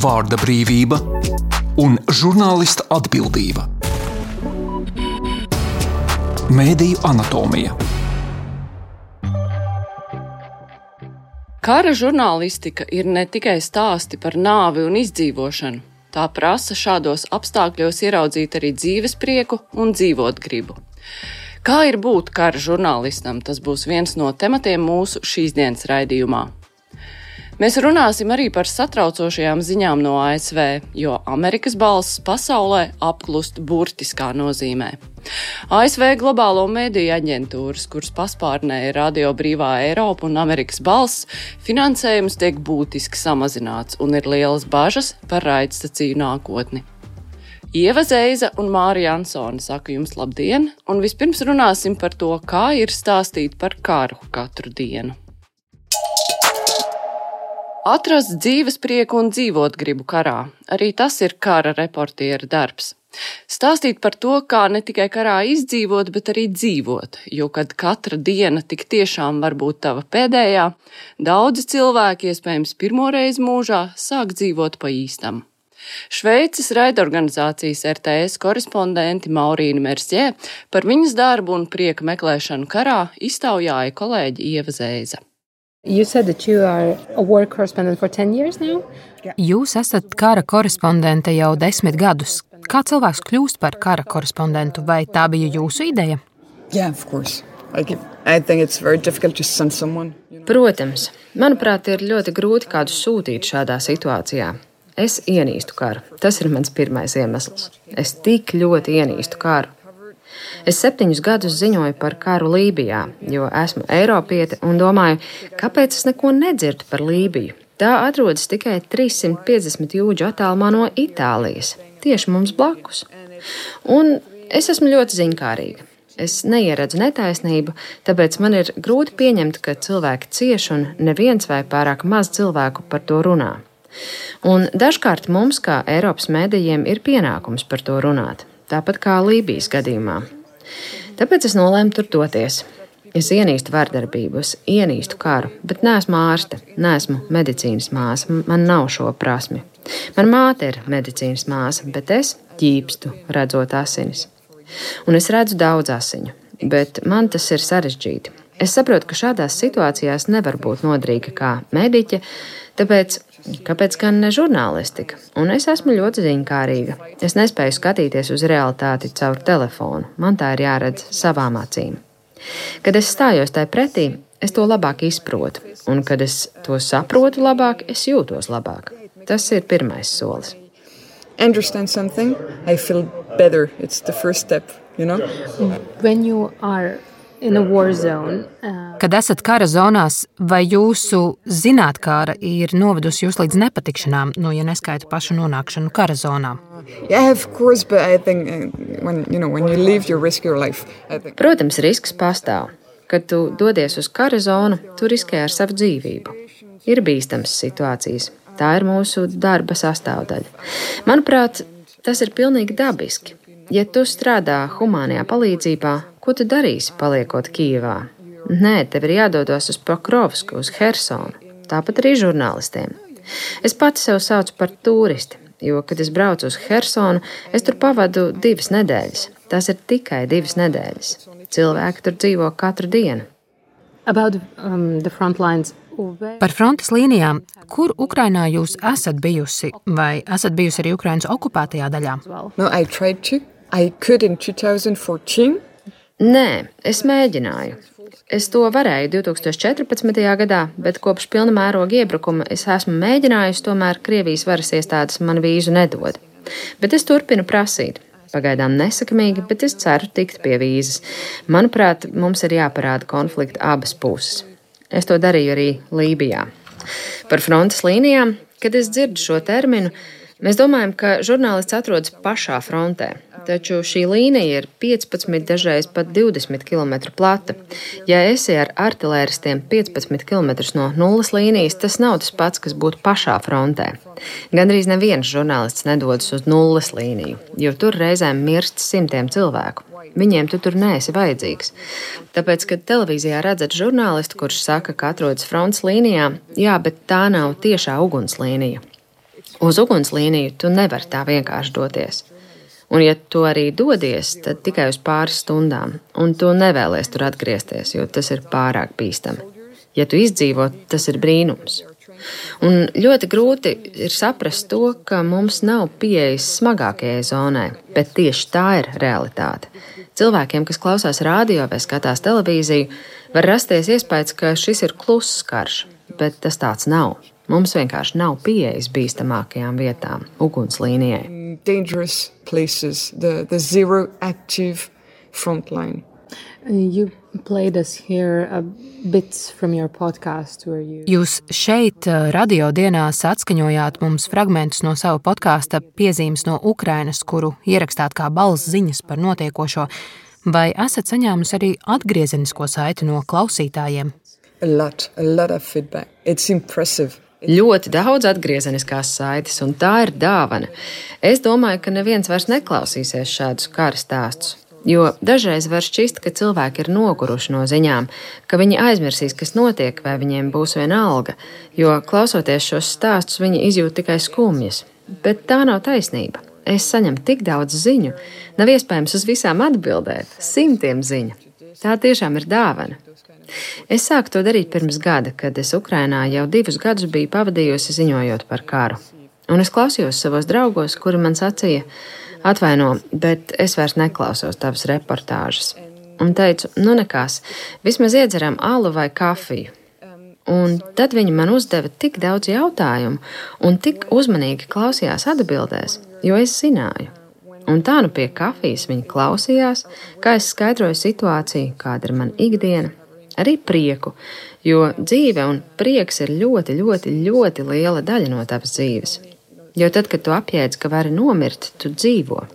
vārda brīvība un žurnālista atbildība. Mēdīju anatomija. Kara žurnālistika ir ne tikai stāsti par nāvi un izdzīvošanu. Tā prasa šādos apstākļos ieraudzīt arī dzīves prieku un dzīvot gribu. Kā ir būt kara žurnālistam, tas būs viens no tematiem mūsu šīs dienas raidījumā. Mēs runāsim arī par satraucošajām ziņām no ASV, jo Amerikas balss pasaulē apklust burtiskā nozīmē. ASV globālo mediju aģentūras, kuras paspārnē ir Radio Brīvā Eiropa un Amerikas balss, finansējums tiek būtiski samazināts un ir lielas bažas par raidstaciju nākotni. Ieva Zeiza un Māra Jansone saka jums labdien, un vispirms runāsim par to, kā ir stāstīt par karu katru dienu. Atrast dzīves prieku un dzīvot gribu karā. Arī tas ir kara reportiera darbs. Stāstīt par to, kā ne tikai karā izdzīvot, bet arī dzīvot, jo kad katra diena tik tiešām var būt tava pēdējā, daudzi cilvēki, iespējams pirmoreiz mūžā, sāk dzīvot pa īstam. Šveices raidorganizācijas RTS korespondenti Maurīna Mersjē par viņas darbu un prieka meklēšanu karā iztaujāja kolēģi Ieva Zeiza. You said that you are a war correspondent for 10 years now? Jūs esat kara korespondente jau 10 gadus. Kā cilvēks kļūst par kara korespondentu, vai tā bija jūsu ideja? Yeah, of course. I think it's very difficult to send someone. Protams. Manuprāt, ir ļoti grūti kādu sūtīt šādā situācijā. Es ienīstu karu. Tas ir mans pirmais iemesls. Es tik ļoti ienīstu karu. Es 7 gadus ziņoju par karu Lībijā, jo esmu eiropiete un domāju, kāpēc es neko nedzirdu par Lībiju. Tā atrodas tikai 350 jūdžu attālumā no Itālijas, tieši mums blakus. Un es esmu ļoti ziņkārīga. Es neieredzu netaisnību, tāpēc man ir grūti pieņemt, ka cilvēki cieš un neviens vai pārāk maz cilvēku par to runā. Un dažkārt mums, kā Eiropas medijiem, ir pienākums par to runāt, tāpat kā Lībijas gadījumā. Tāpēc es nolēmu tur doties. Es ienīstu vardarbību, es ienīstu karu, bet neesmu ārste, neesmu medicīnas māsa, man nav šo prasmi. Man māte ir medicīnas māsa, bet es ķīpstu, redzot asinis. Un es redzu daudz asiņu, bet man tas ir sarežģīti. Es saprotu, ka šādās situācijās nevar būt nodrīga kā mediķe, tāpēc kāpēc gan ne žurnālistika? Un es esmu ļoti ziņkārīga. Es nespēju skatīties uz realitāti caur telefonu. Man tā ir jāredz savām acīm. Kad es stājos tai pretī, es to labāk izprotu. Un kad es to saprotu labāk, es jūtos labāk. Tas ir pirmais solis. Understand something, I feel better. It's the first step, you know? When you are in a war zone, Kad esat kara zonās, vai jūsu zinātkāra ir novedusi jūs līdz nepatikšanām, ja neskaita pašu nonākšanu kara zonā? Yeah, of course, but I think when you leave, you risk your life. Protams, risks pastāv. Kad tu dodies uz kara zonu, tu riskē ar savu dzīvību. Ir bīstamas situācijas. Tā ir mūsu darba sastāvdaļa. Manuprāt, tas ir pilnīgi dabiski. Ja tu strādā humānajā palīdzībā, ko tu darīsi, paliekot Kijevā? Nē, tev ir jādodas uz Pokrovsku, uz Hersonu. Tāpat arī žurnālistiem. Es pati sev saucu par turisti, jo, kad es braucu uz Hersonu, es tur pavadu 2 nedēļas. Tas ir tikai 2 nedēļas. Cilvēki tur dzīvo katru dienu. About the front lines. Par frontes līnijām, kur Ukrainā jūs esat bijusi, vai esat bijusi arī Ukrainas okupētajā daļā? No, I tried to. I could in 2014. Nē, es mēģināju. Es to varēju 2014. gadā, bet kopš pilna mēroga iebrukuma es esmu mēģinājusi, tomēr Krievijas varas iestādes man vīzu nedod. Bet es turpinu prasīt. Pagaidām nesakamīgi, bet es ceru tikt pie vīzas. Manuprāt, mums ir jāparāda konflikta abas puses. Es to darīju arī Lībijā. Par frontes līnijām, kad es dzirdu šo terminu, mēs domājam, ka žurnālists atrodas pašā frontē. Taču šī līnija ir 15, dažreiz pat 20 km plata. Ja esi ar artilēristiem 15 km no nulles līnijas, tas nav tas pats, kas būtu pašā frontē. Gandrīz neviens žurnālists nedodas uz nulles līniju, jo tur reizēm mirst simtiem cilvēku. Viņiem tu tur neesi vajadzīgs. Tāpēc, kad televīzijā redzat žurnālistu, kurš saka, ka atrodas frontes līnijā, jā, bet tā nav tiešā ugunslīnija. Uz ugunslīniju tu nevari tā vienkārši doties. Un, ja tu arī dodies, tad tikai uz pāris stundām, un tu nevēlies tur atgriezties, jo tas ir pārāk bīstami. Ja tu izdzīvo, tas ir brīnums. Un ļoti grūti ir saprast to, ka mums nav pieejas smagākajai zonai, bet tieši tā ir realitāte. Cilvēkiem, kas klausās radio vai skatās televīziju, var rasties iespējas, ka šis ir kluss karš, bet tas tāds nav. Mums vienkārši nav pieejas bīstamākajām vietām, ugunslīnijai. Dangerous places, the zero active front line. You played us here bits from your podcast where you... Jūs šeit radio dienās atskaņojāt mums fragmentus no sava podkāsta Piezīmes no Ukrainas, kuru ierakstāt kā balss ziņas par notiekošo. Vai esat saņēmusi arī atgriezenisko saiti no klausītājiem? A lot of feedback. It's impressive. Ļoti daudz atgriezeniskās saites, un tā ir dāvana. Es domāju, ka neviens vairs neklausīsies šādus kara stāstus, jo dažreiz var šķist, ka cilvēki ir noguruši no ziņām, ka viņi aizmirsīs, kas notiek, vai viņiem būs vienalga, jo klausoties šos stāstus, viņi izjūt tikai skumjas. Bet tā nav taisnība. Es saņemu tik daudz ziņu, nav iespējams uz visām atbildēt, 100 ziņu. Tā tiešām ir dāvana. Es sāku to darīt pirms gada, kad es Ukrainā jau 2 gadus biju pavadījusi ziņojot par karu. Un es klausījos savos draugos, kuri man sacīja, atvaino, bet es vairs neklausos tavas reportāžas. Un teicu, nu nekās, vismaz iedzeram alu vai kafiju. Un tad viņi man uzdeva tik daudz jautājumu un tik uzmanīgi klausījās atbildēs, jo es zināju. Un tā nu pie kafijas viņi klausījās, kā es skaidroju situāciju, kāda ir man ikdiena. Arī prieku, jo dzīve un prieks ir ļoti, ļoti, ļoti liela daļa no tavas dzīves. Jo tad, kad tu apjēdz, ka vari nomirt, tu dzīvo.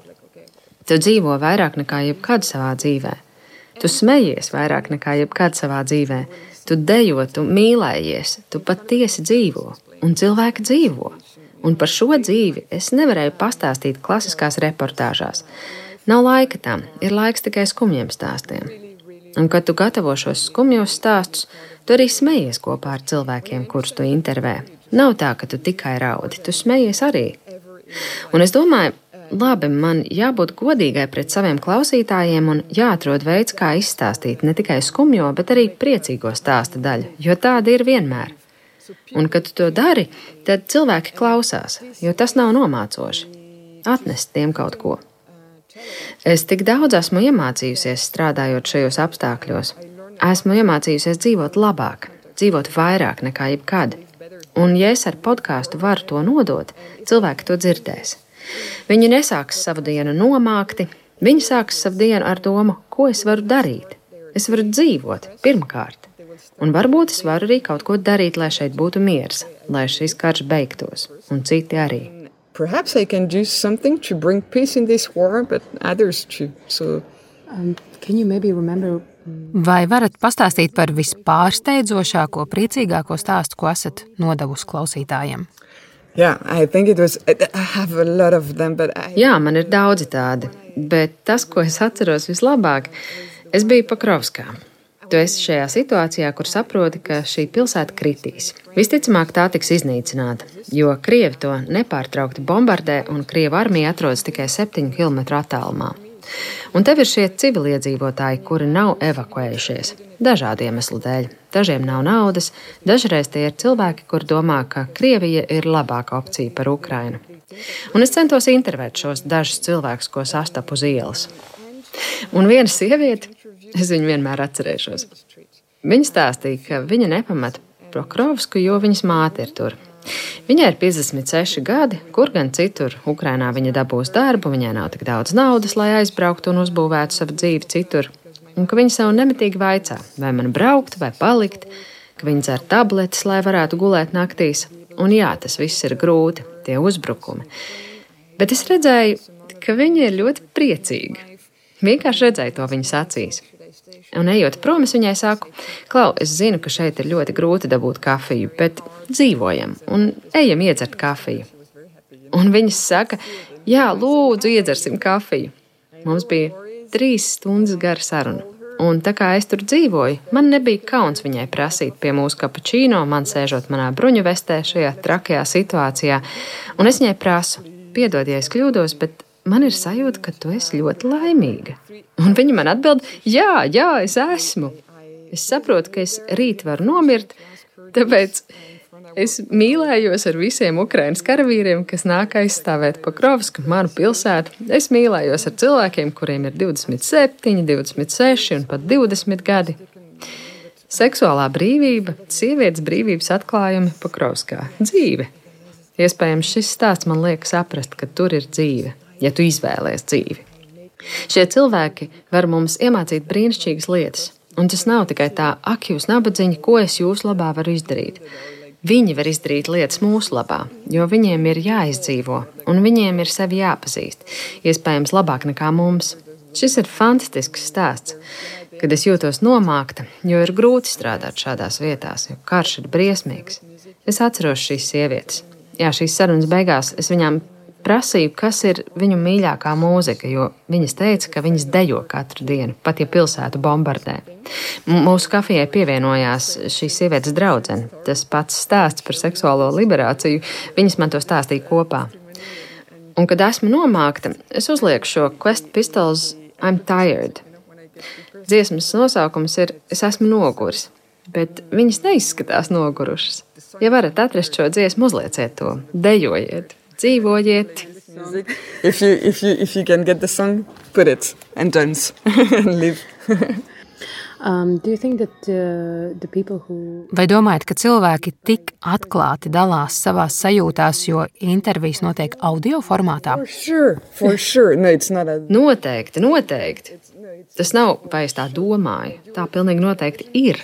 Tu dzīvo vairāk nekā jebkad savā dzīvē. Tu smejies vairāk nekā jebkad savā dzīvē. Tu dejo, tu mīlējies, tu patiesi dzīvo. Un cilvēki dzīvo. Un par šo dzīvi es nevarēju pastāstīt klasiskās reportāžās. Nav laika tam, ir laiks tikai skumjiem stāstiem. Un, kad tu gatavo šos skumjos stāstus, tu arī smejies kopā ar cilvēkiem, kurus tu intervē. Nav tā, ka tu tikai raudi, tu smejies arī. Un es domāju, labi, man jābūt godīgai pret saviem klausītājiem un jāatrod veids, kā izstāstīt ne tikai skumjo, bet arī priecīgo stāsta daļu, jo tāda ir vienmēr. Un, kad tu to dari, tad cilvēki klausās, jo tas nav nomācoši. Atnest tiem kaut ko. Es tik daudz esmu iemācījusies strādājot šajos apstākļos. Esmu iemācījusies dzīvot labāk, dzīvot vairāk nekā jebkad. Un, ja es ar podkāstu varu to nodot, cilvēki to dzirdēs. Viņi nesāks savu dienu nomākti, viņi sāks savu dienu ar domu, ko es varu darīt. Es varu dzīvot, pirmkārt. Un varbūt es varu arī kaut ko darīt, lai šeit būtu miers, lai šis karš beigtos, un citi arī. Perhaps I can do something to bring peace in this war, but others too. So, can you maybe remember... Vai varat pastāstīt par vispārsteidzošāko, priecīgāko stāstu, ko esat nodevusi klausītājiem? Yeah, I think it was... I have a lot of them, but Jā, man ir daudzi tādi, bet tas, ko es atceros vislabāk, es biju Pokrovskā. Tu esi šajā situācijā, kur saproti, ka šī pilsēta kritīs. Visticamāk, tā tiks iznīcināta, jo Krievi to nepārtraukti bombardē un Krievu armija atrodas tikai 7 kilometru attālumā. Un tev ir šie civiliedzīvotāji, kuri nav evakuējušies. Dažādu iemeslu dēļ. Dažiem nav naudas, dažreiz tie ir cilvēki, kur domā, ka Krievija ir labāka opcija par Ukrainu. Un es centos intervēt šos dažus cilvēkus, ko sastapu uz ielas. Un viena sieviete, es viņu vienmēr atcerēšos. Viņa stāstīja, ka viņa nepamata Pokrovsku, jo viņas māte ir tur. Viņai ir 56 gadi, kur gan citur Ukrainā viņa dabūs darbu, viņai nav tik daudz naudas, lai aizbrauktu un uzbūvētu savu dzīvi citur. Un ka viņa sev nemitīgi vaicā, vai man braukt vai palikt, ka viņa dzer tabletes, lai varētu gulēt naktīs. Un jā, tas viss ir grūti, tie uzbrukumi. Bet es redzēju, ka viņa ir ļoti priecīga. Vienkārši redzēju to viņas acīs. Un ejot prom, es viņai saku, Klau, es zinu, ka šeit ir ļoti grūti dabūt kafiju, bet dzīvojam un ejam iedzert kafiju. Un viņas saka, jā, lūdzu, iedzersim kafiju. Mums bija 3 stundas gara saruna. Un tā kā es tur dzīvoju, man nebija kauns viņai prasīt pie mūsu kapučīno, man sēžot manā bruņu vestē šajā trakajā situācijā. Un es viņai prasu, piedod, ja es kļūdos, bet man ir sajūta, ka tu esi ļoti laimīga. Un viņa man atbild, jā, es esmu. Es saprotu, ka es rīt varu nomirt, tāpēc es mīlējos ar visiem Ukrainas karavīriem, kas nāk aizstāvēt Pokrovsku, manu pilsētu. Es mīlējos ar cilvēkiem, kuriem ir 27, 26 un pat 20 gadi. Seksuālā brīvība, sievietes brīvības atklājumi Pokrovskā. Dzīve. Iespējams, šis stāsts man liek saprast, ka tur ir dzīve, ja tu izvēlies dzīvi. Šie cilvēki var mums iemācīt brīnišķīgas lietas, un tas nav tikai tā, ak, jūs nabadziņi, ko es jūsu labā varu izdarīt. Viņi var izdarīt lietas mūsu labā, jo viņiem ir jāizdzīvo, un viņiem ir sevi jāpazīst, iespējams labāk nekā mums. Šis ir fantastisks stāsts, kad es jūtos nomākta, jo ir grūti strādāt šādās vietās, jo karš ir briesmīgs. Es atceros šīs sievietes. Jā, šīs sarunas beigās es viņām prasīju, kas ir viņu mīļākā mūzika, jo viņas teica, ka viņas dejo katru dienu, pat ja pilsētu bombardē. Mūsu kafijai pievienojās šīs sievietes draudzene. Tas pats stāsts par seksuālo liberāciju, viņas man to stāstīja kopā. Un, kad esmu nomākta, es uzlieku šo Quest Pistols I'm Tired. Dziesmas nosaukums ir Es esmu noguris, bet viņas neizskatās nogurušas. Ja varat atrast šo dziesmu, uzlieciet to, dejojiet. Dzīvojiet. If you can get the song, put it and dance and live. Do you think that the people who... Vai domājat, ka cilvēki tik atklāti dalās savās sajūtās, jo intervijas notiek audio formātā? For sure. No, it's not a... Noteikti. Tas nav, vai es tā domāju. Tā pilnīgi noteikti ir.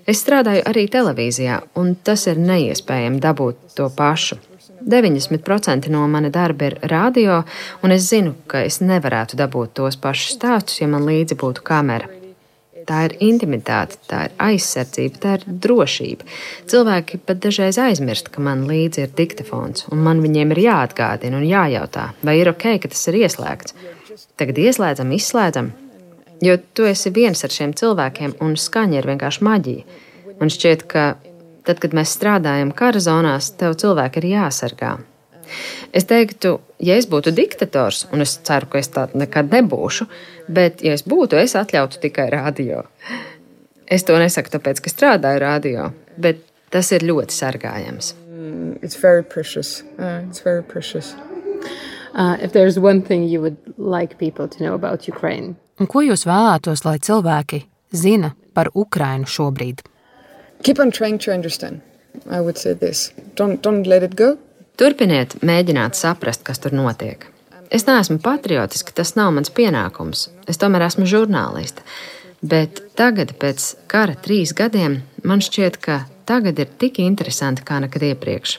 Es strādāju arī televīzijā, un tas ir neiespējami dabūt to pašu. 90% no mana darba ir radio, un es zinu, ka es nevarētu dabūt tos pašus stāstus, ja man līdzi būtu kamera. Tā ir intimitāte, tā ir aizsardzība, tā ir drošība. Cilvēki pat dažreiz aizmirst, ka man līdzi ir diktafons, un man viņiem ir jāatgādina un jājautā, vai ir ok, ka tas ir ieslēgts. Tagad ieslēdzam, izslēdzam, jo tu esi viens ar šiem cilvēkiem, un skaņa ir vienkārši maģija. Man šķiet, ka tad, kad mēs strādājam kara zonās, tev cilvēki ir jāsargā. Es teiktu, ja es būtu diktators, un es ceru, ka es tādu nekad nebūšu, bet, ja es būtu, es atļautu tikai radio. Es to nesaku tāpēc, ka strādāju radio, bet tas ir ļoti sargājams. It's very precious. It's very precious. If there's one thing you would like people to know about Ukraine. Un ko jūs vēlētos, lai cilvēki zina par Ukrainu šobrīd? Keep on trying to understand. I would say this. Don't let it go. Turpiniet mēģināt saprast, kas tur notiek. Es neesmu patriotiska, tas nav mans pienākums. Es tomēr esmu žurnāliste. Bet tagad, pēc kara 3 gadiem, man šķiet, ka tagad ir tik interesanti kā nekad iepriekš.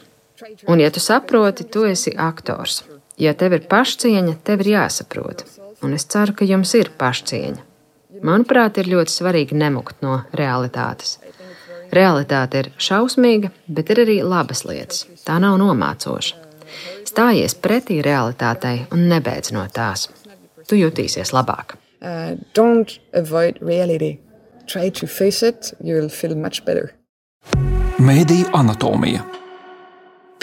Un ja tu saproti, tu esi aktors. Ja tev ir pašcieņa, tev ir jāsaprot. Un es ceru, ka jums ir pašcieņa. Manuprāt, ir ļoti svarīgi nemukt no realitātes. Realitāte ir šausmīga, bet ir arī labas lietas. Tā nav nomācoša. Stājies pretī realitātei un nebeidz no tās. Tu jutīsies labāk. Don't avoid reality. Try to face it, you'll feel much better. Mēdīju anatomija.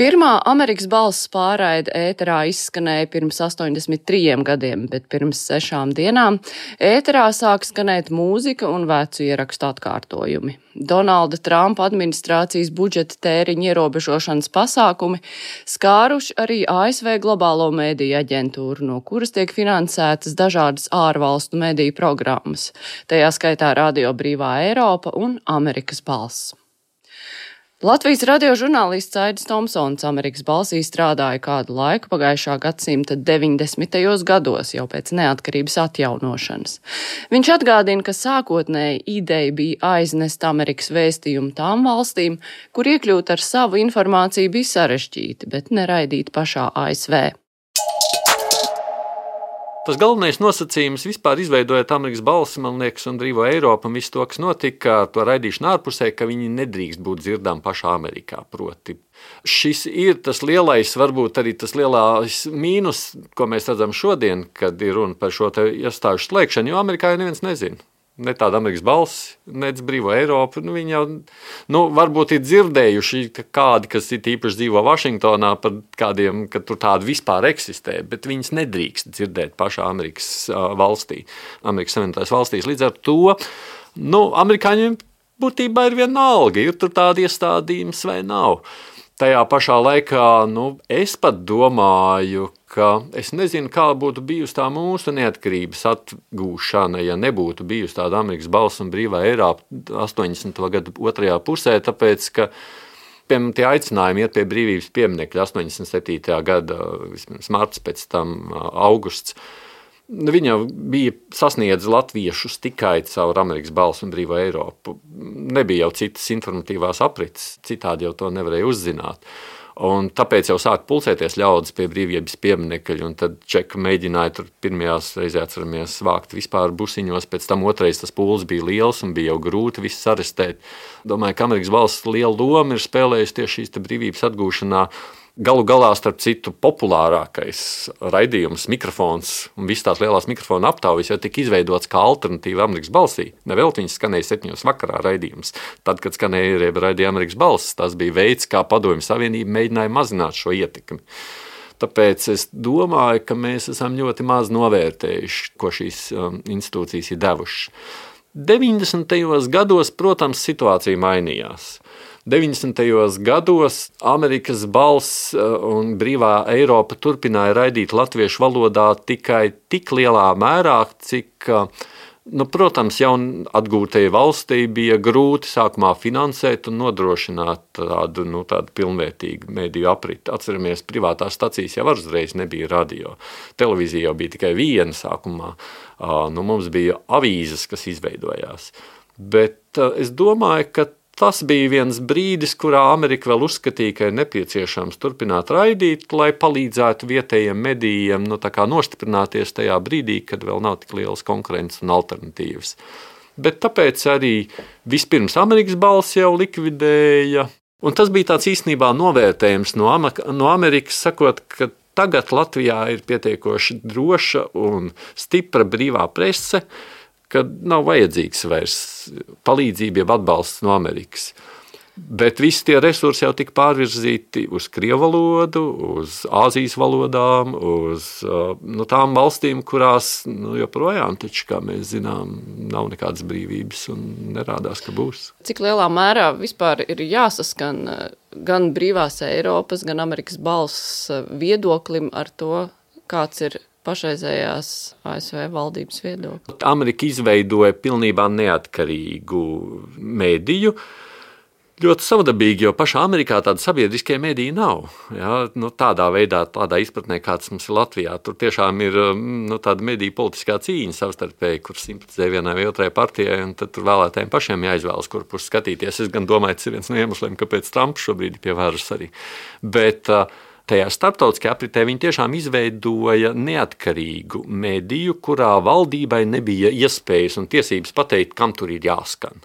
Pirmā Amerikas balss pārraide ēterā izskanēja pirms 83 gadiem, bet pirms 6 dienām ēterā sāk skanēt mūzika un vecu ierakstu atkārtojumi. Donalda Trumpa administrācijas budžeta tēriņa ierobežošanas pasākumi skāruši arī ASV globālo mediju aģentūru, no kuras tiek finansētas dažādas ārvalstu mediju programmas, tajā skaitā Radio Brīvā Eiropa un Amerikas balss. Latvijas radio žurnālists Aidis Tomsons Amerikas balsī strādāja kādu laiku pagājušā gadsimta 90. gados, jau pēc neatkarības atjaunošanas. Viņš atgādina, ka sākotnēji ideja bija aiznest Amerikas vēstījumu tām valstīm, kur iekļūt ar savu informāciju bija sarežģīti, bet neraidīt pašā ASV. Tas galvenais nosacījums vispār izveidojot Amerikas balsi, man liekas, un Brīvo Eiropu un visu to, kas notika, to raidīšanu ārpusē, ka viņi nedrīkst būt dzirdām pašā Amerikā. Proti, šis ir tas lielais, varbūt arī tas lielais mīnus, ko mēs redzam šodien, kad ir runa par šo te iestāžu slēgšanu, jo Amerikā jau neviens nezina. ne tāda Amerikas balss, nec brīvo Eiropu. Viņi jau varbūt ir dzirdējuši kādi, kas ir īpaši dzīvo Vašingtonā par kādiem, ka tur tādi vispār eksistē, bet viņas nedrīkst dzirdēt pašā Amerikas valstī, Amerikas Savienotās valstīs. Līdz ar to, amerikāņiem būtībā ir vienalga, ir tur tādi iestādījums vai nav. Tajā pašā laikā, es pat domāju, ka es nezinu, kā būtu bijusi tā mūsu neatkarības atgūšana, ja nebūtu bijusi tāda Amerikas balss un brīvā Eiropa 80. gadu otrajā pusē, tāpēc, ka piemēram, tie aicinājumi iet pie brīvības pieminekļa 87. gada, vismaz marts, pēc tam augusts, viņa bija sasniedz latviešus tikai caur Amerikas balsu un brīvo Eiropu. Nebija jau citas informatīvās aprites, citādi jau to nevarēja uzzināt. Un tāpēc jau sāk pulcēties ļaudis pie brīvības pieminekļa, un tad Čeka mēģināja tur pirmajās reizē atceramies vākt vispār busiņos, pēc tam otrais tas pūls bija liels un bija jau grūti visus arestēt. Domāju, ka Amerikas balss liela loma ir spēlējusi tieši šīs brīvības atgūšanā. Galu galā, starp citu, populārākais raidījums, mikrofons un visas tās lielās mikrofona aptaujas jau tika izveidots kā alternatīva Amerikas balsī. Nevelti viņas skanēja 7 vakarā raidījums. Tad, kad skanēja raidīja Amerikas balss, tas bija veids, kā Padomju Savienība mēģināja mazināt šo ietekmi. Tāpēc es domāju, ka mēs esam ļoti maz novērtējuši, ko šīs institūcijas ir devušas. 90. gados, protams, situācija mainījās. 90. gados Amerikas balss un brīvā Eiropa turpināja raidīt latviešu valodā tikai tik lielā mērā, cik, protams, jaun atgūtajai valstī bija grūti sākumā finansēt un nodrošināt tādu pilnvērtīgu mediju apriti. Atceramies, privātās stacijas jau uzreiz nebija radio. Televīzija jau bija tikai viena sākumā. Mums bija avīzes, kas izveidojās. Bet es domāju, ka tas bija viens brīdis, kurā Amerika vēl uzskatīja, ka ir nepieciešams turpināt raidīt, lai palīdzētu vietējiem medijiem nostiprināties tajā brīdī, kad vēl nav tik lielas konkurences un alternatīvas. Bet tāpēc arī vispirms Amerikas balss jau likvidēja. Un tas bija tāds īstenībā novērtējums no Amerikas, sakot, ka tagad Latvijā ir pietiekoši droša un stipra brīvā prese, ka nav vajadzīgs vairs palīdzība, jeb atbalsts no Amerikas. Bet visi tie resursi jau tika pārvirzīti uz krievu valodu, uz Āzijas valodām, uz tām valstīm, kurās joprojām, taču, kā mēs zinām, nav nekādas brīvības un nerādās, ka būs. Cik lielā mērā vispār ir jāsaskan gan brīvās Eiropas, gan Amerikas balss viedoklim ar to, kāds ir pašreizējās ASV valdības viedokļi? Amerika izveidoja pilnībā neatkarīgu mediju. Ļoti savdabīgi, jo pašā Amerikā tāda sabiedriskie mediji nav. Ja? Tādā veidā, tādā izpratnē, kāds mums ir Latvijā. Tur tiešām ir tāda mediju politiskā cīņa savstarpēji, kur simpatizē vienai vai otrai partijai, un tad tur vēlētājiem pašiem jāizvēlas, kur pusi skatīties. Es gan domāju, tas ir viens no iemesliem, kāpēc Trumps šobrīd ir pie varas arī. Bet tajā starptautiskajā apritē viņi tiešām izveidoja neatkarīgu mediju, kurā valdībai nebija iespējas un tiesības pateikt, kam tur ir jāskan.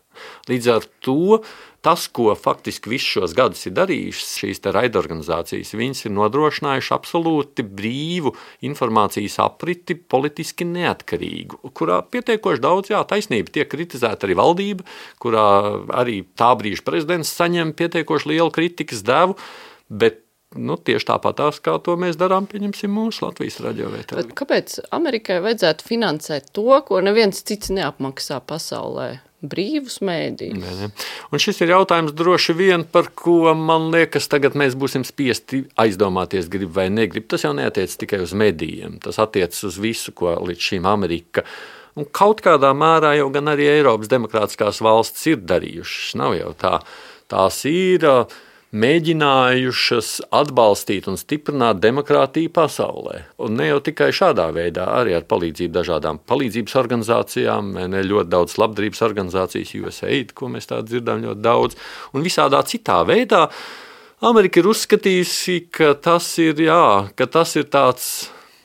Līdz ar to tas, ko faktiski visus šos gadus ir darījušas šīs raidorganizācijas, viņas ir nodrošinājuši absolūti brīvu informācijas apriti, politiski neatkarīgu, kurā pietiekoši daudz, taisnība, tiek kritizēta arī valdība, kurā arī tā brīža prezidents saņem pietiekoši lielu kritikas devu, bet tieši tāpatās, kā to mēs darām, pieņemsim mūsu Latvijas radio vai TV. Kāpēc Amerikai vajadzētu finansēt to, ko neviens cits neapmaksā pasaulē? Brīvus mēdījus. Ne. Un šis ir jautājums droši vien, par ko, man liekas, tagad mēs būsim spiesti aizdomāties, grib vai negrib. Tas jau neatiec tikai uz medijiem, tas attiecas uz visu, ko līdz šīm Amerika un kaut kādā mērā jau gan arī Eiropas demokrātiskās valstis ir darījušas. Nav jau tā. Tās ir mēģinājušas atbalstīt un stiprināt demokrātiju pasaulē. Un ne jau tikai šādā veidā, arī ar palīdzību dažādām palīdzības organizācijām, ļoti daudz labdarības organizācijas, USAID, ko mēs tā dzirdām ļoti daudz, un visādā citā veidā. Amerika ir uzskatījusi, ka tas ir tāds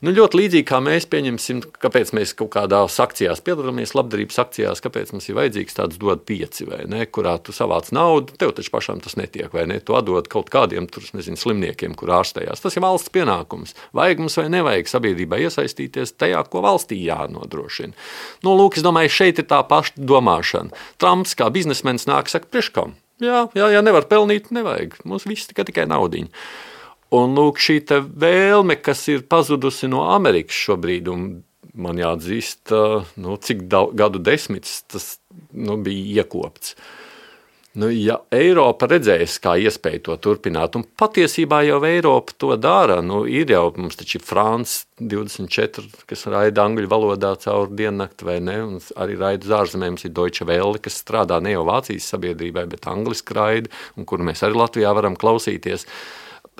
Ļoti līdzīgi kā mēs pieņemsim, kāpēc mēs kaut kādās akcijās piedalāmies, labdarības akcijās, kāpēc mums ir vajadzīgs tāds dod 5, vai ne, kurā tu savāc naudu, tev taču pašām tas netiek, vai ne, tu atdod kaut kādiem, slimniekiem, kur ārstējās. Tas ir valsts pienākums. Vajag mums vai nevajag sabiedrībai iesaistīties tajā, ko valstī jānodrošina. Lūk, es domāju, šeit ir tā paša domāšana. Trumps kā biznesmenis nāk, saka, priekškam. Jā, nevar pelnīt, nevajag. Mums viss tikai naudiņa. Un lūk, šī vēlme, kas ir pazudusi no Amerikas šobrīd, un man jāatzīst, cik gadu desmitus tas bija iekopts. Ja Eiropa redzēs, kā iespēja to turpināt, un patiesībā jau Eiropa to dara, ir jau mums taču France 24, kas raida angļu valodā caur diennakti, vai ne, un arī raida uz ārzemēm, mums ir Deutsche Welle, kas strādā ne jau Vācijas sabiedrībai, bet angliski raida, un kuru mēs arī Latvijā varam klausīties.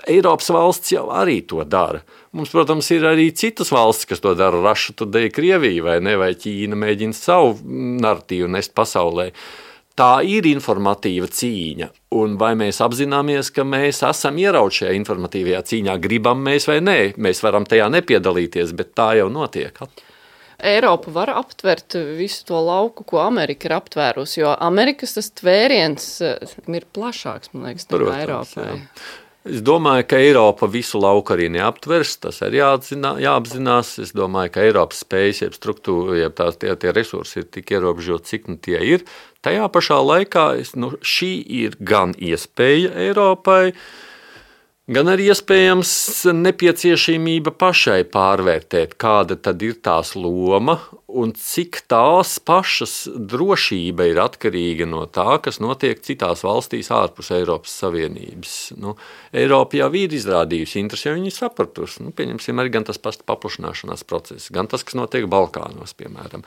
Eiropas valsts jau arī to dara. Mums, protams, ir arī citas valstis, kas to dara. Russia Today, Krievija vai ne, vai Ķīna mēģina savu narratīvu nest pasaulē. Tā ir informatīva cīņa, un vai mēs apzināmies, ka mēs esam ierauti šajā informatīvajā cīņā, gribam mēs vai nē, mēs varam tajā nepiedalīties, bet tā jau notiek. Eiropa var aptvert visu to lauku, ko Amerika ir aptvērusi, jo Amerikas tas tvēriens ir plašāks, man liekas, nekā Eiropai. Es domāju, ka Eiropa visu lauku arī neaptvers, tas arī jāapzinās. Es domāju, ka Eiropas spējas, jeb struktūra, jeb tie resursi ir tik ierobežoti, cik tie ir. Tajā pašā laikā šī ir gan iespēja Eiropai, gan arī iespējams nepieciešamība pašai pārvērtēt, kāda tad ir tās loma un cik tās pašas drošība ir atkarīga no tā, kas notiek citās valstīs ārpus Eiropas Savienības. Eiropa jau ir izrādījusi interesi, jo viņi sapratusi. Pieņemsim arī gan tas pats paplašināšanās process, gan tas, kas notiek Balkānos, piemēram.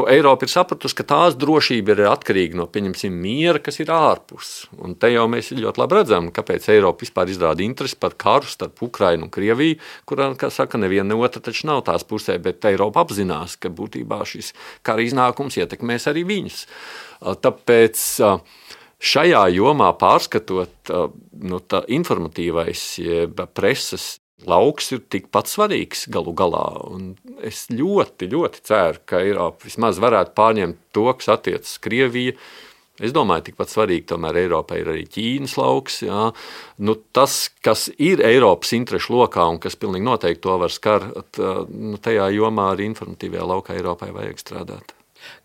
Eiropa ir sapratusi, ka tās drošība ir atkarīga no, pieņemsim, miera, kas ir ārpus. Un te jau mēs ļoti labi redzam, kāpēc Eiropa vispār izrāda interesi par karu starp Ukrainu un Krieviju, kurā, kā saka, neviena otra taču nav tās pusē, bet Eiropa apzinās, ka būtībā šis kara iznākums ietekmēs arī viņus. Tāpēc šajā jomā pārskatot, tā informatīvais preses lauks ir tikpat svarīgs galu galā. Un es ļoti, ļoti ceru, ka Eiropa vismaz varētu pārņemt to, kas attiecas Krieviju. Es domāju, tikpat svarīgi tomēr Eiropai ir arī Ķīnas lauks. Jā. Tas, kas ir Eiropas interešu lokā un kas pilnīgi noteikti to var skart, tajā jomā arī informatīvajā laukā Eiropai vajag strādāt.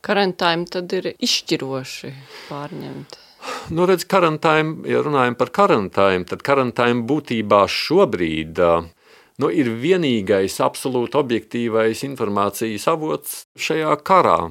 Karantīna tad ir izšķiroši pārņemta. Redz, karantīna, ja runājam par karantīnu, tad karantīna būtībā šobrīd ir vienīgais absolūti objektīvais informācijas avots šajā karā,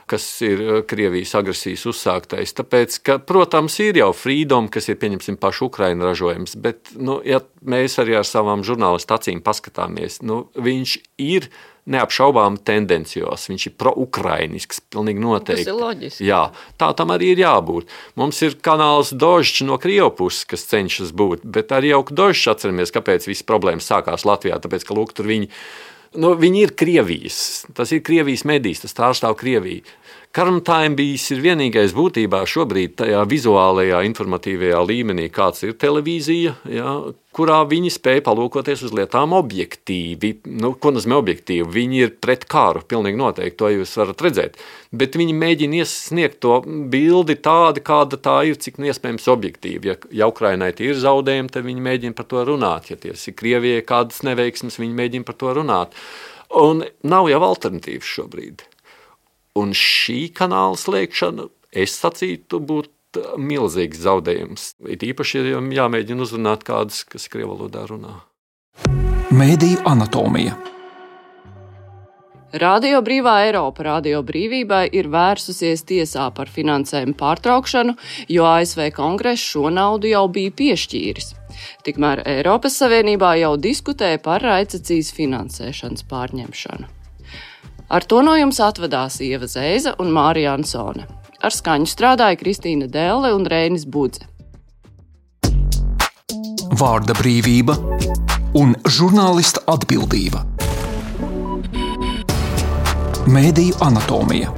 kas ir Krievijas agresijas uzsāktais. Tāpēc, ka, protams, ir jau Freedom, kas ir, pieņemsim, pašu Ukraina ražojums, bet, ja mēs arī ar savām žurnālistu acīm paskatāmies, viņš ir neapšaubām tendencios, viņš ir pro-ukrainisks, pilnīgi noteikti. Tas ir loģiski. Jā, tā tam arī ir jābūt. Mums ir kanāls Dožs no Krievu puses, kas cenšas būt, bet arī jau Dožs atceramies, kāpēc visas problēmas sākās Latvijā, tāpēc, ka, lūk, tur viņi ir Krievijas, tas ir Krievijas medijs, tas pārstāv Krieviju. Karantīna ir vienīgais būtībā šobrīd tajā vizuālajā, informatīvajā līmenī, kāds ir televīzija, jā, kurā viņi spēj palūkoties uz lietām objektīvi. Ko nozīmē objektīvi? Viņi ir pret kāru, pilnīgi noteikti, to jūs varat redzēt. Bet viņi mēģina iesniegt to bildi tādi, kāda tā ir, cik iespējams objektīvi. Ja Ukrainai tie ir zaudējumi, tad viņi mēģina par to runāt. Ja tie ir Krievijai kādas neveiksmes, viņi mēģina par to runāt. Un nav jau alternatīvas šobrīd. Un šī kanāla slēgšana, es sacītu, būtu milzīgs zaudējums. It īpaši jāmēģina uzrunāt kādas, kas krievu valodā runā. Mēdīju anatomija. Radio Brīvā Eiropa Radio Brīvībai ir vērsusies tiesā par finansējumu pārtraukšanu, jo ASV kongress šo naudu jau bija piešķīris. Tikmēr Eiropas Savienībā jau diskutē par raidstacijas finansēšanas pārņemšanu. Ar to no jums atvadās Ieva Zeiza un Mārija Ansone. Ar skaņu strādāja Kristīna Dēle un Reinis Budze. Vārda brīvība un žurnālista atbildība. Mēdīju anatomija.